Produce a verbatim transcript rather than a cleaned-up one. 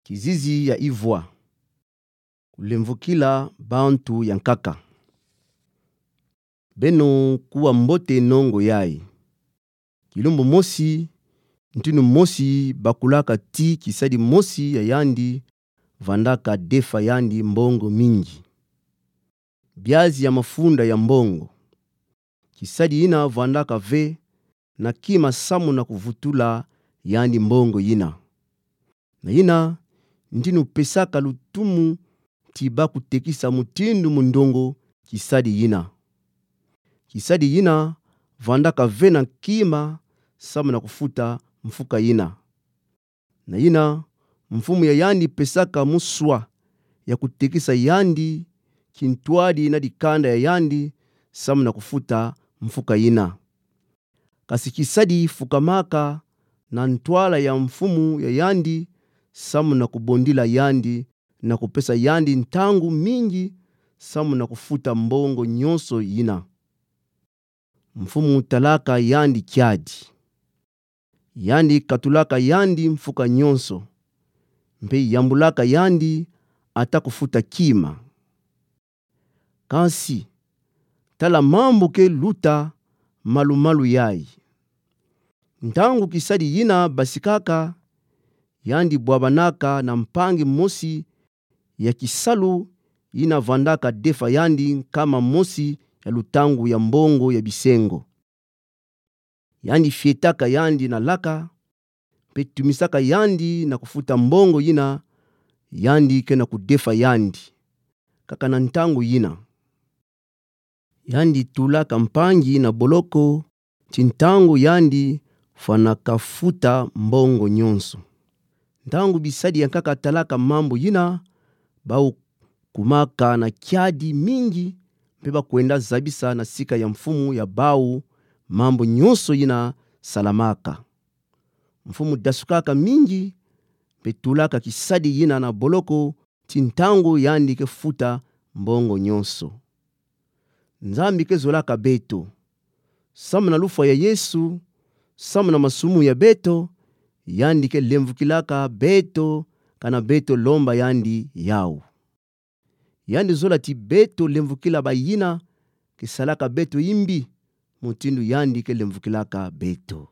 Kizizi ya ivwa. Kulemvokila bantu ya nkaka. Beno kuwa mbote nongo yayi. Kilumbu mosi, ntinu mosi bakulaka ti kisadi mosi ya yandi vandaka defa yandi mbongo mingi. Biazi ya mafunda ya mbongo. Kisadi yina vandaka ve na kima samu na kuvutula yandi mbongo yina. Na yina, ntinu pesaka lutumu ti bakutekisa mutindu mundongo kisadi yina. Kisadi yina vandaka ve na kima samu na kufuta mfuka yina. Na yina, mfumu ya yandi pesaka muswa ya kutekisa yandi kintwadi na dikanda ya yandi samu na kufuta mfuka yina. Kasi kisadi fukamaka na ntwala ya mfumu ya yandi samu na kubondila yandi na kupesa yandi ntangu mingi samu na kufuta mbongo nyonso yina. Mfumu talaka yandi kiadi. Yandi katulaka yandi mfuka nyonso, mpe yambulaka yandi ata kufuta kima. Kansi, tala mambu ke luta malu-malu yayi. Ntangu kisadi yina basikaka, yandi bwabanaka na mpangi mosi ya kisalu yina vandaka defa yandi nkama mosi ya lutangu ya mbongo ya bisengo. Yandi fietaka yandi na laka, mpe tumisaka yandi na kufuta mbongo yina yandi ke na kudefa yandi, kaka na ntangu yina. Yandi tulaka mpangi na boloko ti ntangu yandi fwanaka futa mbongo nyonso. Ntangu bisadi ya nkaka talaka mambu yina, bau kumaka na kiadi mingi, mpe bakwenda zabisa na sika ya mfumu ya bau mambu nyonso yina salamaka. Mfumu dasukaka mingi, mpe tulaka kisadi yina na boloko ti ntangu yandi ke futa mbongo nyonso. Nzambi ke zolaka beto. Samu na lufwa ya Yesu, samu na masumu ya beto, yandi ke lemvokilaka beto, kana beto lomba yandi yau. Yandi zola ti beto lemvokila bayina ke salaka beto imbi, mutindu yandi ke lemvokilaka beto.